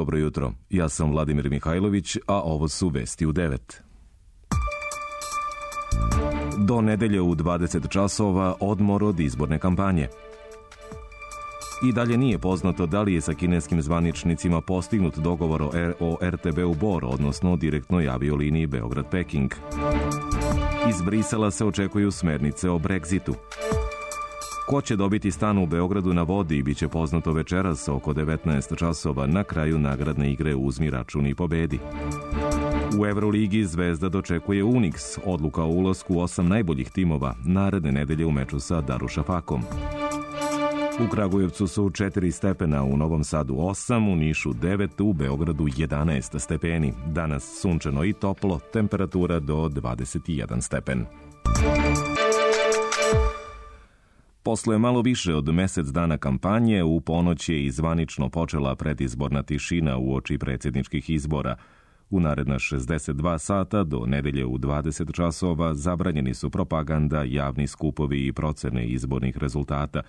Dobro jutro, ja sam Vladimir Mihajlović, a ovo su vesti u 9. Do nedelje u 20 časova odmor od izborne kampanje. I dalje nije poznato da li je sa kineskim zvaničnicima postignut dogovor o RTB-u Bor, odnosno direktnoj avioliniji Beograd-Peking. Iz Brisela se očekuju smernice o Brexitu. Ko će dobiti stan u Beogradu na vodi biće poznato večeras oko 19 časova na kraju nagradne igre Uzmi račun i pobedi. U Evroligi Zvezda dočekuje Unix, odluka o ulasku 8 najboljih timova naredne nedelje u meču sa Darušafakom. U Kragujevcu su 4 stepena, u Novom Sadu 8, u Nišu 9, u Beogradu 11 stepeni. Danas sunčano i toplo, temperatura do 21 stepen. Posle malo više od mesec dana kampanje, u ponoć je i zvanično počela predizborna tišina uoči predsjedničkih izbora. U naredna 62 sata do nedelje u 20 časova zabranjeni su propaganda, javni skupovi i procene izbornih rezultata.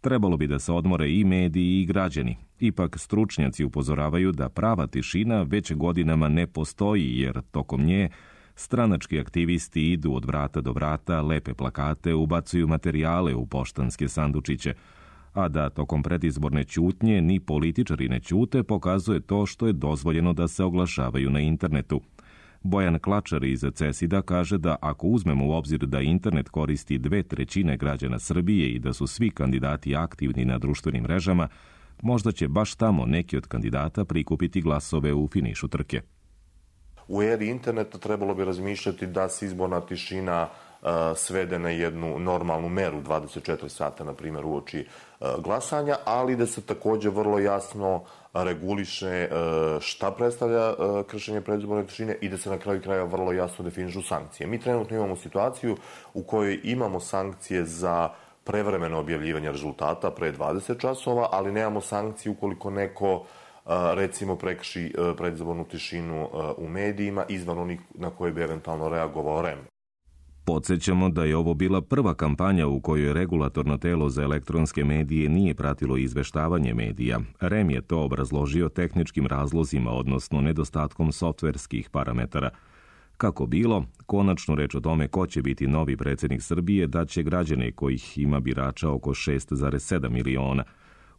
Trebalo bi da se odmore i mediji i građani. Ipak stručnjaci upozoravaju da prava tišina već godinama ne postoji, jer tokom nje stranački aktivisti idu od vrata do vrata, lepe plakate, ubacuju materijale u poštanske sandučiće. A da tokom predizborne ćutnje ni političari ne ćute pokazuje to što je dozvoljeno da se oglašavaju na internetu. Bojan Klačar iz CESID-a kaže da ako uzmemo u obzir da internet koristi 2/3 građana Srbije i da su svi kandidati aktivni na društvenim mrežama, možda će baš tamo neki od kandidata prikupiti glasove u finišu trke. U eri interneta trebalo bi razmišljati da se izborna tišina svede na jednu normalnu meru, 24 sata, na primjer, uoči glasanja, ali da se također vrlo jasno reguliše šta predstavlja kršenje predizborne tišine i da se na kraju kraja vrlo jasno definišu sankcije. Mi trenutno imamo situaciju u kojoj imamo sankcije za prevremeno objavljivanje rezultata pre 20 časova, ali nemamo sankcije ukoliko neko recimo prekrši predizbornu tišinu u medijima izvan onih na koje bi eventualno reagovao REM. Podsjećamo da je ovo bila prva kampanja u kojoj regulatorno telo za elektronske medije nije pratilo izveštavanje medija. REM je to obrazložio tehničkim razlozima, odnosno nedostatkom softverskih parametara. Kako bilo, konačnu reč o tome ko će biti novi predsjednik Srbije daće građane kojih ima birača oko 6,7 miliona.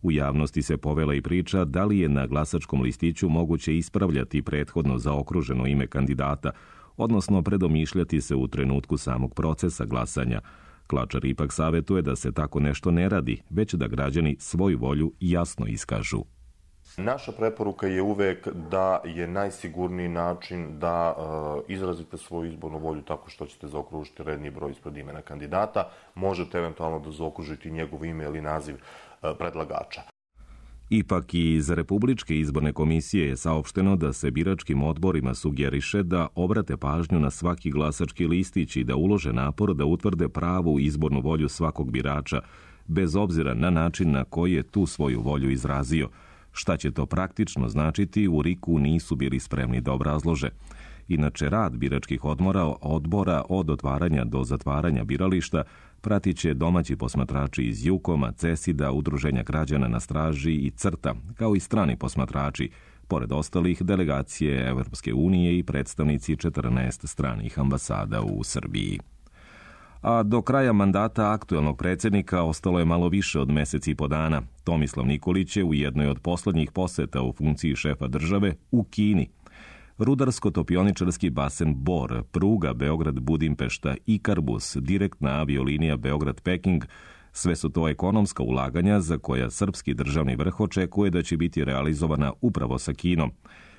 U javnosti se povela i priča da li je na glasačkom listiću moguće ispravljati prethodno zaokruženo ime kandidata, odnosno predomišljati se u trenutku samog procesa glasanja. Klačar ipak savjetuje da se tako nešto ne radi, već da građani svoju volju jasno iskažu. Naša preporuka je uvek da je najsigurniji način da izrazite svoju izbornu volju tako što ćete zaokružiti redni broj ispred imena kandidata. Možete eventualno da zaokružite njegovo ime ili naziv predlagača. Ipak i iz Republičke izborne komisije je saopšteno da se biračkim odborima sugeriše da obrate pažnju na svaki glasački listić i da ulože napor da utvrde pravu izbornu volju svakog birača, bez obzira na način na koji je tu svoju volju izrazio. Šta će to praktično značiti, u RIK-u nisu bili spremni da obrazlože. Inače, rad biračkih odbora od otvaranja do zatvaranja birališta pratit će domaći posmatrači iz JUKOM-a, CESID-a, Udruženja građana na straži i CRTA, kao i strani posmatrači, pored ostalih delegacije Evropske unije i predstavnici 14 stranih ambasada u Srbiji. A do kraja mandata aktuelnog predsjednika ostalo je malo više od mesec i po dana. Tomislav Nikolić je u jednoj od poslednjih poseta u funkciji šefa države u Kini. Rudarsko-topioničarski basen Bor, pruga Beograd-Budimpešta, Ikarbus, direktna aviolinija Beograd-Peking, sve su to ekonomska ulaganja za koja srpski državni vrh očekuje da će biti realizovana upravo sa Kinom.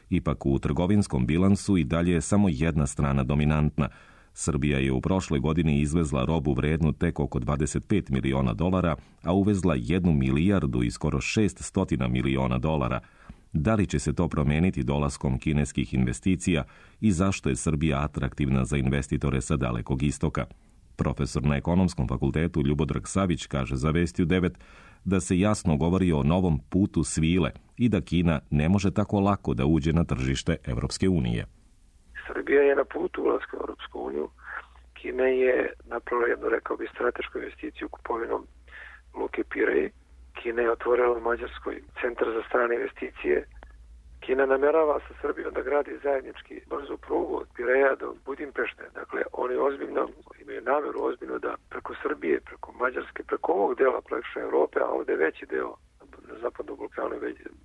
Ipak u trgovinskom bilansu i dalje je samo jedna strana dominantna. Srbija je u prošloj godini izvezla robu vrednu tek oko $25 miliona, a uvezla 1 milijardu i skoro 600 miliona dolara. Da li će se to promeniti dolaskom kineskih investicija i zašto je Srbija atraktivna za investitore sa Dalekog istoka? Profesor na Ekonomskom fakultetu Ljubodrag Savić kaže za Vesti u 9 da se jasno govori o novom putu svile i da Kina ne može tako lako da uđe na tržište Evropske unije. Srbija je na putu ulaska u Europsku uniju. Kina je napravila jednu, rekao bi, stratešku investiciju kupovinom Luke Pirej. Kina je otvorila u Mađarskoj centar za strane investicije Kina namerava sa Srbijom da gradi zajednički brzu prugu od Pireja do Budimpešte. Dakle, oni ozbiljno imaju nameru ozbiljno da preko Srbije, preko Mađarske, preko ovog dela praktično Evrope, a ovde veći deo na zapadnom Balkanu,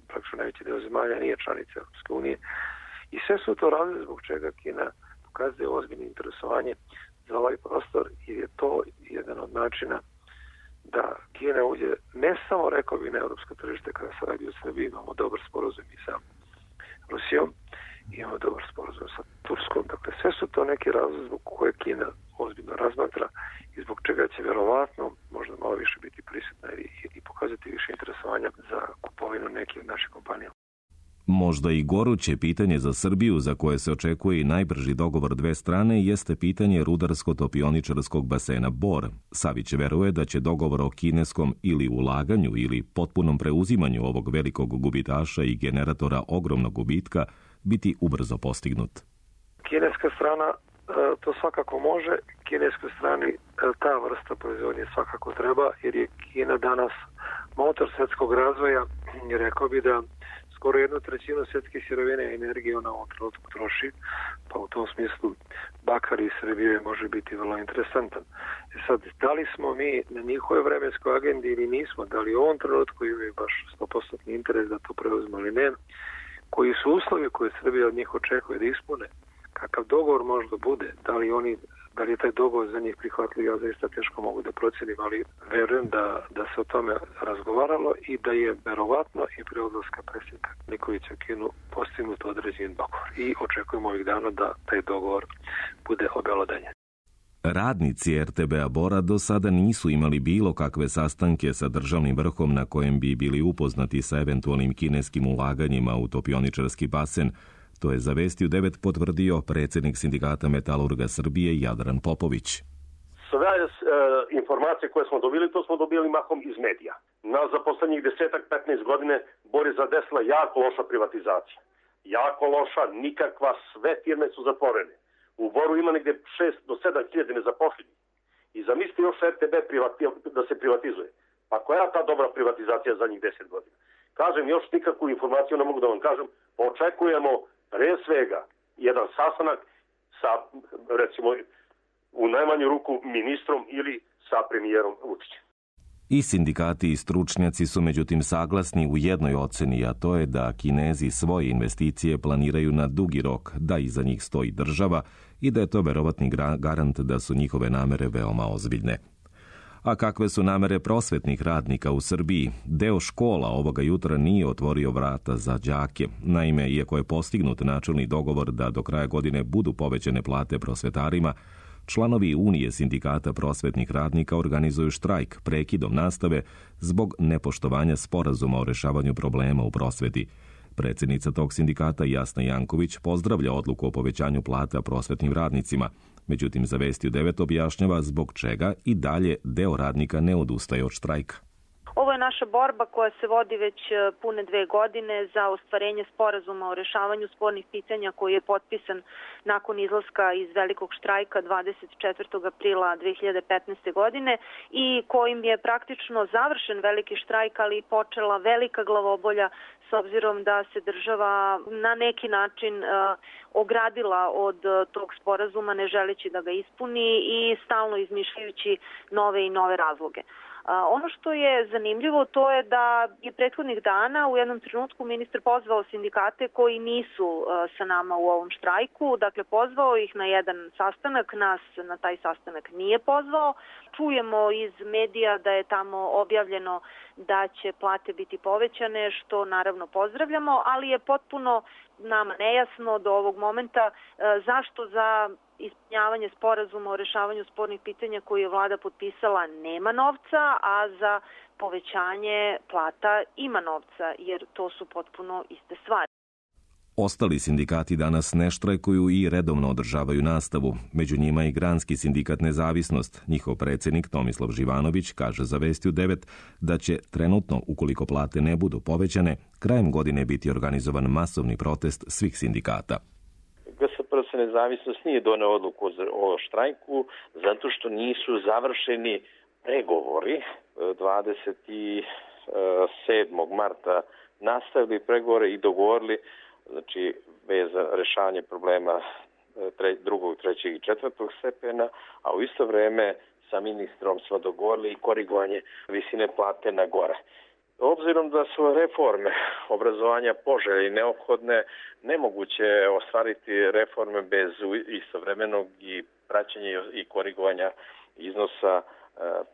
praktično najveći deo zemalja nije članica Europske unije. I sve su to razlozi zbog čega Kina pokazuje ozbiljno interesovanje za ovaj prostor, jer je to jedan od načina da Kina uđe ne samo, rekao bi, na europsko tržište kada se radi o Srbiji. Imamo dobar sporazum i sa Rusijom, imamo dobar sporazum sa Turskom. Dakle, sve su to neki razlozi zbog koje Kina ozbiljno razmatra i zbog čega će verovatno možda malo više biti prisutna i pokazati više interesovanja za kupovinu nekih od naših kompanija. Možda i goruće pitanje za Srbiju, za koje se očekuje i najbrži dogovor dve strane, jeste pitanje rudarsko-topioničarskog basena Bor. Savić veruje da će dogovor o kineskom ili ulaganju ili potpunom preuzimanju ovog velikog gubitaša i generatora ogromnog gubitka biti ubrzo postignut. Kineska strana to svakako može. Kineskoj strani ta vrsta proizvodnje svakako treba, jer je Kina danas motor svetskog razvoja i rekao bi da skoro 1/3 svjetske sirovine i energije ona u ovom trenutku troši, pa u tom smislu bakar iz Srbije može biti vrlo interesantan. Sad, da li smo mi na njihovoj vremenskoj agendi ili nismo, da li u ovom trenutku imaju baš 100% interes da to preuzme ili ne, koji su uslovi koje Srbija od njih očekuje da ispune, kakav dogovor možda bude, da li je taj dogovor za njih prihvatljiv, ja zaista teško mogu da procenim, ali verujem da se o tome razgovaralo i da je verovatno i pre odlaska predsjednika Nikolića u Kinu postignut određen dogovor. I očekujemo ovih dana da taj dogovor bude obelodanjen. Radnici RTB-a Bora do sada nisu imali bilo kakve sastanke sa državnim vrhom na kojem bi bili upoznati sa eventualnim kineskim ulaganjima u topioničarski basen. To je za Vesti u 9 potvrdio predsjednik Sindikata metalurga Srbije Jadran Popović. Sve informacije koje smo dobili, to smo dobili mahom iz medija. Nas za poslednjih 10-15 godine Bor je zadesila jako loša privatizacija. Jako loša, nikakva, sve firme su zatvorene. U Boru ima negde 6 do 7 hiljada nezaposlenih. I zamislite još RTB da se privatizuje. Pa koja je ta dobra privatizacija za njih 10 godina? Kažem, još nikakvu informaciju ne mogu da vam kažem. Očekujemo pre svega jedan sastanak sa, recimo, u najmanju ruku ministrom ili sa premijerom Vučićem. I sindikati i stručnjaci su međutim saglasni u jednoj oceni, a to je da Kinezi svoje investicije planiraju na dugi rok, da iza njih stoji država i da je to verovatni garant da su njihove namere veoma ozbiljne. A kakve su namere prosvetnih radnika u Srbiji? Deo škola ovoga jutra nije otvorio vrata za đake. Naime, iako je postignut načelni dogovor da do kraja godine budu povećane plate prosvetarima, članovi Unije sindikata prosvetnih radnika organizuju štrajk prekidom nastave zbog nepoštovanja sporazuma o rešavanju problema u prosveti. Predsjednica tog sindikata Jasna Janković pozdravlja odluku o povećanju plata prosvetnim radnicima. Međutim, za Vesti u 9 objašnjava zbog čega i dalje deo radnika ne odustaje od štrajka. Ovo je naša borba koja se vodi već pune 2 godine za ostvarenje sporazuma o rešavanju spornih pitanja koji je potpisan nakon izlaska iz velikog štrajka 24. aprila 2015. godine i kojim je praktično završen veliki štrajk, ali počela velika glavobolja s obzirom da se država na neki način ogradila od tog sporazuma ne želeći da ga ispuni i stalno izmišljajući nove i nove razloge. Ono što je zanimljivo to je da je prethodnih dana u jednom trenutku ministar pozvao sindikate koji nisu sa nama u ovom štrajku, dakle pozvao ih na jedan sastanak, nas na taj sastanak nije pozvao. Čujemo iz medija da je tamo objavljeno da će plate biti povećane, što naravno pozdravljamo, ali je potpuno nama nejasno do ovog momenta zašto za ispunjavanje sporazuma o rešavanju spornih pitanja koji je vlada potpisala nema novca, a za povećanje plata ima novca, jer to su potpuno iste stvari. Ostali sindikati danas ne štrajkuju i redovno održavaju nastavu. Među njima i Granski sindikat Nezavisnost. Njihov predsjednik Tomislav Živanović kaže za Vesti u 9 da će trenutno, ukoliko plate ne budu povećane, krajem godine biti organizovan masovni protest svih sindikata. GSPRS Nezavisnost nije doneo odluku o štrajku zato što nisu završeni pregovori. 27. marta nastavili pregovore i dogovorili znači bez rešavanja problema drugog, trećeg i četvrtog stepena, a u isto vreme sa ministrom smo dogovorili i korigovanje visine plate na gore. Obzirom da su reforme obrazovanja poželjne i neophodne, nemoguće je ostvariti reforme bez istovremenog i praćenja i korigovanja iznosa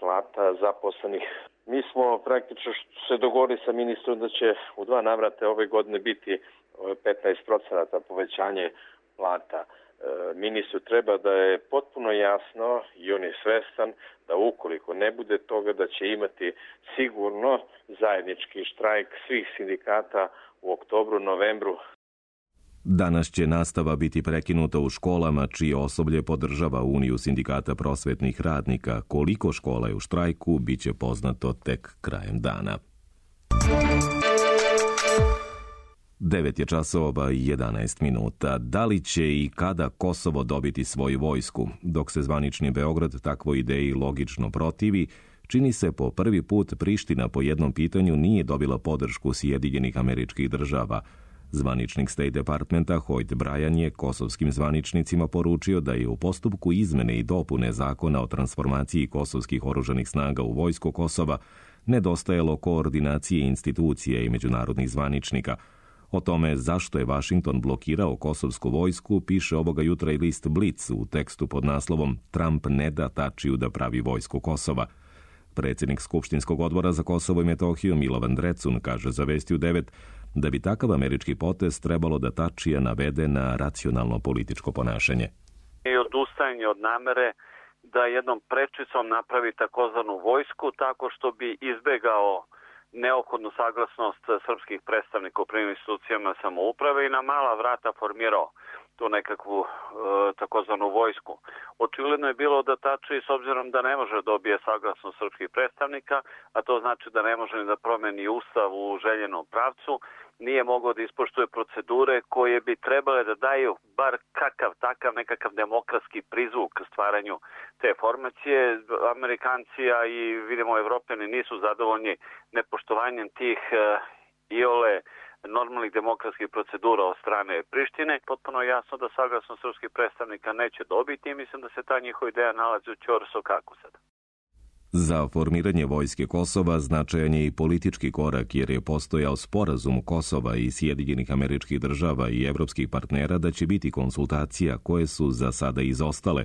plata zaposlenih. Mi smo praktično se dogovorili sa ministrom da će u 2 navrata ove godine biti 15% povećanje plata. Ministru treba da je potpuno jasno i on je svestan da ukoliko ne bude toga da će imati sigurno zajednički štrajk svih sindikata u oktobru, novembru. Danas će nastava biti prekinuta u školama čije osoblje podržava Uniju sindikata prosvetnih radnika. Koliko škola je u štrajku, bit će poznato tek krajem dana. 9 je časova i 11 minuta. Da li će i kada Kosovo dobiti svoju vojsku? Dok se zvanični Beograd takvoj ideji logično protivi, čini se po prvi put Priština po jednom pitanju nije dobila podršku Sjedinjenih Američkih Država. Zvaničnik State Departmenta Hoyt Bryan je kosovskim zvaničnicima poručio da je u postupku izmene i dopune zakona o transformaciji kosovskih oružanih snaga u vojsku Kosova nedostajalo koordinacije institucija i međunarodnih zvaničnika. O tome zašto je Vašington blokirao kosovsku vojsku piše ovoga jutra i list Blitz u tekstu pod naslovom Trump ne da Tačiju da pravi vojsku Kosova. Predsjednik Skupštinskog odbora za Kosovo i Metohiju Milovan Drecun kaže za Vesti u 9 da bi takav američki potez trebalo da Tačija navede na racionalno političko ponašanje. I odustajanje od namere da jednom prečicom napravi takozvanu vojsku tako što bi izbegao neophodnu saglasnost srpskih predstavnika u prvim institucijama samouprave i na mala vrata formirao tu nekakvu takozvanu vojsku. Očigledno je bilo da Tači, s obzirom da ne može dobije saglasnost srpskih predstavnika, a to znači da ne može ni da promeni ustav u željenom pravcu, nije mogao da ispoštuje procedure koje bi trebale da daju bar takav nekakav demokratski prizvuk stvaranju te formacije. Amerikanci, a i vidimo Evropljani nisu zadovoljni nepoštovanjem tih iole normalnih demokratskih procedura od strane Prištine. Potpuno je jasno da saglasnost srpskih predstavnika neće dobiti i mislim da se ta njihova ideja nalazi u ćorsu kako sada. Za formiranje vojske Kosova značajan je i politički korak jer je postojao sporazum Kosova i Sjedinjenih Američkih Država i evropskih partnera da će biti konsultacija koje su za sada izostale,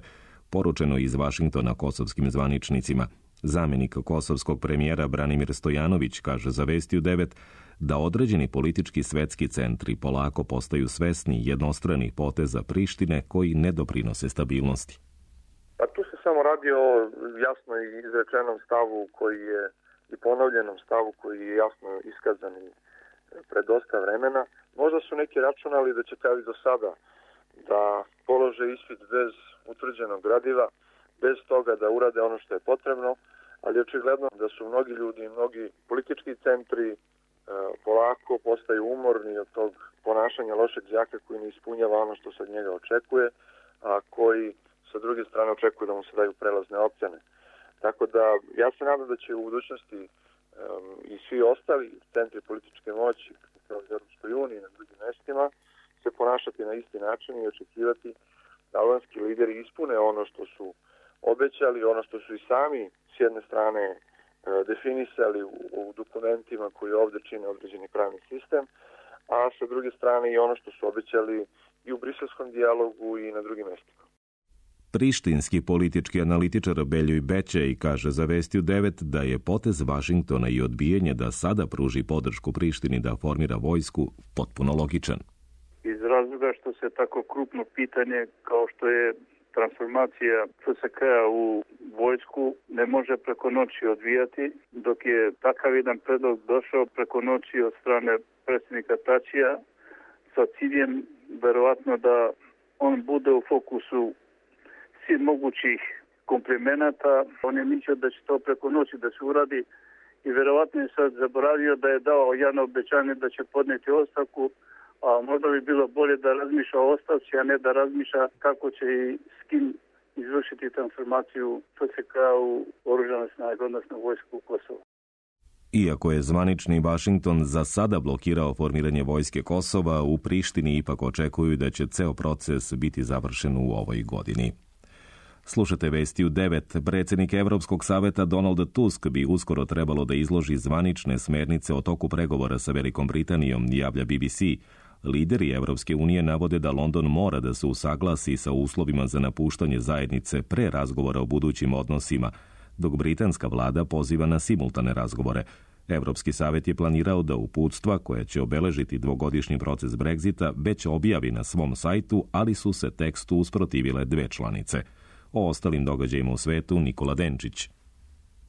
poručeno iz Vašingtona kosovskim zvaničnicima. Zamjenik kosovskog premijera Branimir Stojanović kaže za Vesti u 9 da određeni politički svetski centri polako postaju svesni jednostranih poteza Prištine koji ne doprinose stabilnosti. Pa tu se samo radi o jasno izrečenom stavu koji je i ponovljenom stavu koji je jasno iskazan pred dosta vremena. Možda su neki računali da će kao i do sada da polože ispit bez utvrđenog gradiva, bez toga da urade ono što je potrebno, ali očigledno da su mnogi ljudi i mnogi politički centri polako postaju umorni od tog ponašanja lošeg đaka koji ne ispunjava ono što se od njega očekuje, a koji sa druge strane očekuje da mu se daju prelazne ocjene. Tako da ja se nadam da će u budućnosti i svi ostali centri političke moći kao u Europskoj uniji i na drugim mestima se ponašati na isti način i očekivati da albanski lideri ispune ono što su obećali, ono što su i sami s jedne strane definisali u dokumentima koji ovdje čine određeni pravni sistem, a sa druge strane i ono što su obećali i u briselskom dijalogu i na drugim mestima. Prištinski politički analitičar Beljoj Bećej kaže za Vesti u 9 da je potez Vašingtona i odbijanje da sada pruži podršku Prištini da formira vojsku potpuno logičan. Iz razloga što se tako krupno pitanje kao što je transformacija FSK-a u vojsku ne može preko noći odvijati, dok je takav jedan predlog došao preko noći od strane predsjednika Tačija sa ciljem verovatno da on bude u fokusu svih mogućih komplimenata. On je mislio da će to preko noći da se uradi i verovatno je sad zaboravio da je dao jedno obećanje da će podneti ostavku, a možda bi bilo bolje da razmišlja o ostavci, a ne da razmišlja kako će i s kim izvršiti transformaciju FSK u oružane snage, odnosno vojsku Kosova. Iako je zvanični Vašington za sada blokirao formiranje vojske Kosova, u Prištini ipak očekuju da će ceo proces biti završen u ovoj godini. Slušate vesti u 9. Predsjednik Evropskog saveta Donald Tusk bi uskoro trebalo da izloži zvanične smernice o toku pregovora sa Velikom Britanijom, javlja BBC. Lideri Evropske unije navode da London mora da se usaglasi sa uslovima za napuštanje zajednice pre razgovora o budućim odnosima, dok britanska vlada poziva na simultane razgovore. Evropski savjet je planirao da uputstva koja će obeležiti dvogodišnji proces Brexita već objavi na svom sajtu, ali su se tekstu usprotivile dve članice. O ostalim događajima u svetu Nikola Denčić.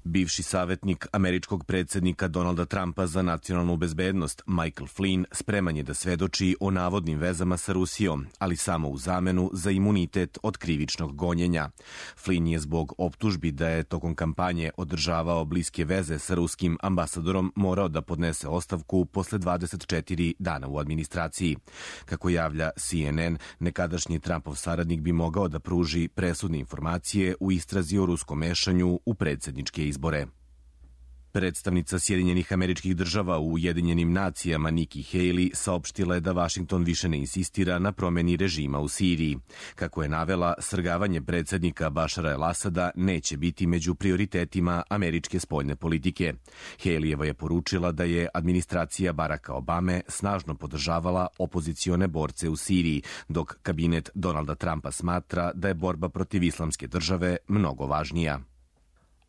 Bivši savjetnik američkog predsjednika Donalda Trumpa za nacionalnu bezbednost Michael Flynn spreman je da svedoči o navodnim vezama sa Rusijom, ali samo u zamenu za imunitet od krivičnog gonjenja. Flynn je zbog optužbi da je tokom kampanje održavao bliske veze sa ruskim ambasadorom morao da podnese ostavku posle 24 dana u administraciji. Kako javlja CNN, nekadašnji Trumpov saradnik bi mogao da pruži presudne informacije u istrazi o ruskom mešanju u predsjedničke izbore. Predstavnica Sjedinjenih Američkih Država u Ujedinjenim nacijama Nikki Haley saopštila je da Vašington više ne insistira na promeni režima u Siriji. Kako je navela, svrgavanje predsjednika Bašara el-Asada neće biti među prioritetima američke spoljne politike. Haleyeva je poručila da je administracija Baracka Obame snažno podržavala opozicione borce u Siriji, dok kabinet Donalda Trumpa smatra da je borba protiv islamske države mnogo važnija.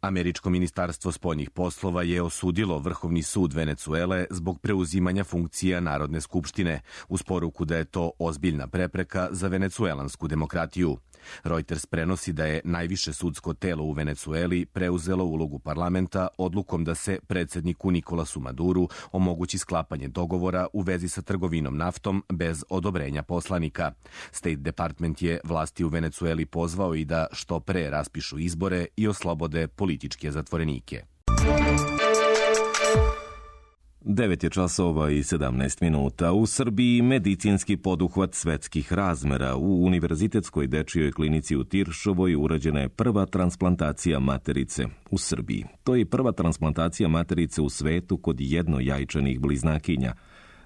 Američko ministarstvo spoljnih poslova je osudilo Vrhovni sud Venecuele zbog preuzimanja funkcija Narodne skupštine, uz poruku da je to ozbiljna prepreka za venecuelansku demokratiju. Reuters prenosi da je najviše sudsko telo u Venecueli preuzelo ulogu parlamenta odlukom da se predsjedniku Nikolasu Maduru omogući sklapanje dogovora u vezi sa trgovinom naftom bez odobrenja poslanika. State Department je vlasti u Venecueli pozvao i da što pre raspišu izbore i oslobode političke zatvorenike. 9 je časova i 17 minuta. U Srbiji medicinski poduhvat svetskih razmera. U Univerzitetskoj dečijoj klinici u Tiršovoj urađena je prva transplantacija materice u Srbiji. To je prva transplantacija materice u svetu kod jednojajčanih bliznakinja.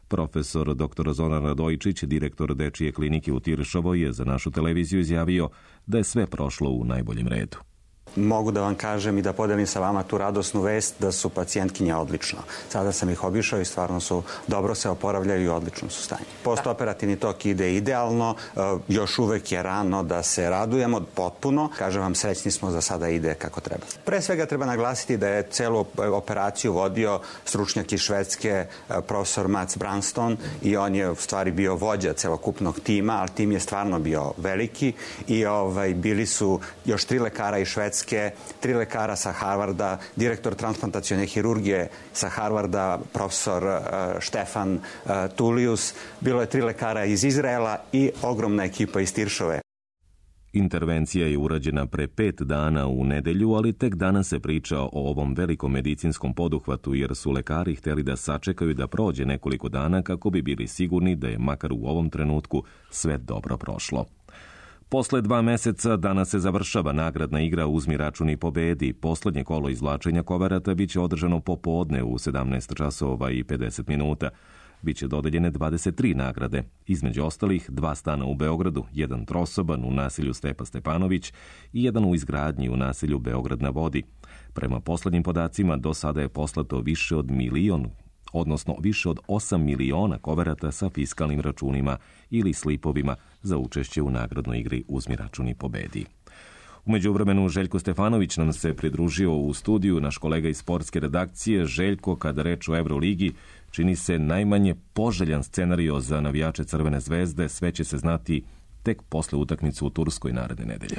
Profesor dr. Zoran Radojčić, direktor dečije klinike u Tiršovoj, je za našu televiziju izjavio da je sve prošlo u najboljem redu. Mogu da vam kažem i da podelim sa vama tu radosnu vest da su pacijentkinje odlično. Sada sam ih obišao i stvarno su dobro se oporavljaju i odlično su stanje. Postoperativni tok ide idealno, još uvek je rano da se radujemo potpuno. Kažem vam, srećni smo da sada ide kako treba. Pre svega treba naglasiti da je celu operaciju vodio stručnjak iz Švedske, profesor Mats Branston, i on je u stvari bio vođa celokupnog tima, ali tim je stvarno bio veliki i bili su još 3 lekara iz Švedske, 3 lekara sa Harvarda, direktor transplantacione hirurgije sa Harvarda, profesor Štefan Tulius, bilo je 3 lekara iz Izraela i ogromna ekipa iz Tiršove. Intervencija je urađena pre 5 dana u nedelju, ali tek danas se priča o ovom velikom medicinskom poduhvatu jer su lekari hteli da sačekaju da prođe nekoliko dana kako bi bili sigurni da je makar u ovom trenutku sve dobro prošlo. Posle 2 meseca danas se završava nagradna igra Uzmi račun i pobedi. Poslednje kolo izvlačenja koverata biće održano popodne u 17 časova i 50 minuta. Biće dodeljene 23 nagrade, između ostalih 2 stana u Beogradu, 1 trosoban u naselju Stepa Stepanović i 1 u izgradnji u naselju Beograd na vodi. Prema poslednjim podacima do sada je poslato više od 8 miliona koverata sa fiskalnim računima ili slipovima za učešće u nagradnoj igri Uzmi račun i pobedi. U međuvremenu Željko Stefanović nam se pridružio u studiju, naš kolega iz sportske redakcije. Željko, kada reč o Euroligi, čini se najmanje poželjan scenario za navijače Crvene zvezde, sve će se znati tek posle utakmice u Turskoj naredne nedelje.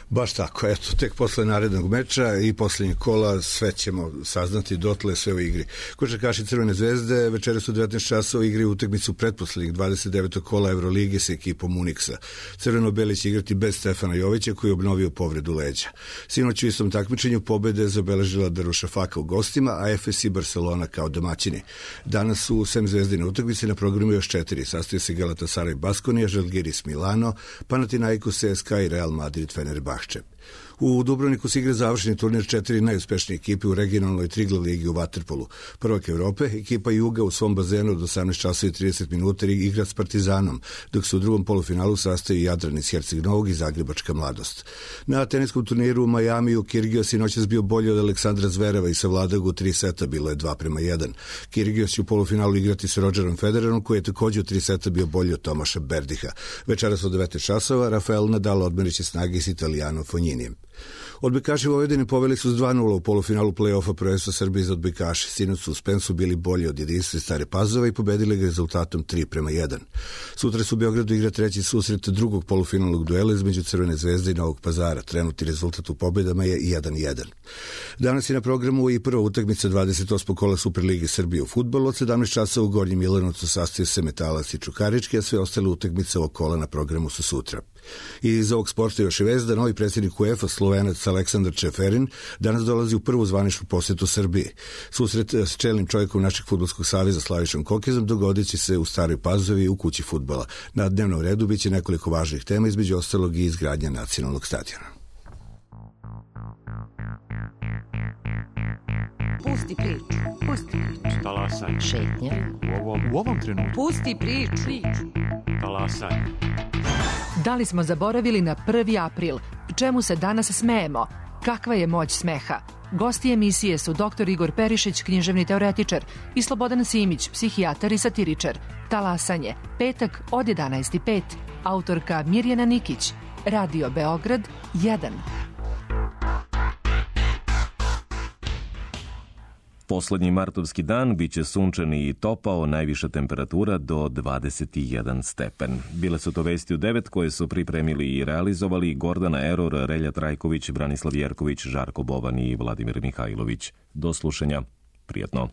Baš tako, eto, tek posle narednog meča i posljednjeg kola sve ćemo saznati, dotle sve u igri. Košarkaši Crvene zvezde večeras u 19 časova igri utakmicu pretposlednjeg 29. kola Evrolige sa ekipom Unixa. Crveno-beli će igrati bez Stefana Jovića koji je obnovio povredu leđa. Sinoć u istom takmičenju pobede zabeležila Darušafaka u gostima, a FS i Barcelona kao domaćini. Danas su sem zvezdine utakmice na programu još 4. Sastoje se Galatasaray Baskonija, Žalgiris Milano, Panathinaikos CSKA i Real Madrid Fenerbahče. U Dubrovniku se igra završeni turnir 4 najuspešnije ekipe u regionalnoj Triglav ligi u vaterpolu. Prvak Evrope, ekipa Juga u svom bazenu od 18 časova i 30 minuta igra s Partizanom, dok se u drugom polufinalu sastaju Jadran iz Herceg Novog i Zagrebačka Mladost. Na teniskom turniru u Majamiju Kyrgios je noćas bio bolji od Aleksandra Zvereva i savladao ga u 3 seta, bilo je 2:1. Kyrgios će u polufinalu igrati s Rogerom Federerom, koji je također u 3 seta bio bolji od Tomaša Berdiha. Večeras od 19 časova Rafael Nadal odmeriće snage s Italijanom Fogninijem. Odbojkaši Vojvodine poveli su s 2:0 u polufinalu play-offa prvenstva Srbije za odbojkaše. Sinoć su u Spensu bili bolji od Jedinstva Stare Pazove i pobedili ga rezultatom 3:1. Sutra su u Beogradu igra treći susret drugog polufinalnog duela između Crvene Zvezde i Novog Pazara. Trenutni rezultat u pobedama je 1:1. Danas je na programu i prva utakmica 28. kola Superlige Srbije u fudbalu. Od 17 časova u Gornjem Milanovcu sastaju se Metalac i Čukarički, a sve ostale utakmice ovog kola na programu su sutra. I iz ovog sporta još je vez da novi predsjednik UEFA, Slovenac Aleksandar Čeferin, danas dolazi u prvu zvaničnu posjetu Srbiji. Susret s čelnim čovjekom našeg fudbalskog saveza Slavišom Kokezom dogodit će se u Staroj Pazovi u kući fudbala. Na dnevnom redu biće nekoliko važnih tema, između ostalog i izgradnja nacionalnog stadiona. Pusti priču. Pusti priču. Talasaj. Šetnja. U ovom trenutku. Pusti priču. Talasaj. Da li smo zaboravili na 1. april? Čemu se danas smejemo? Kakva je moć smeha? Gosti emisije su dr. Igor Perišić, književni teoretičar, i Slobodan Simić, psihijatar i satiričar. Talasanje, petak od 11:05. Autorka Mirjana Nikić. Radio Beograd 1. Poslednji martovski dan biće sunčani i topao, najviša temperatura do 21 stepen. Bile su to vesti u 9 koje su pripremili i realizovali Gordana Eror, Relja Trajković, Branislav Jerković, Žarko Bovan i Vladimir Mihajlović. Do slušanja. Prijatno.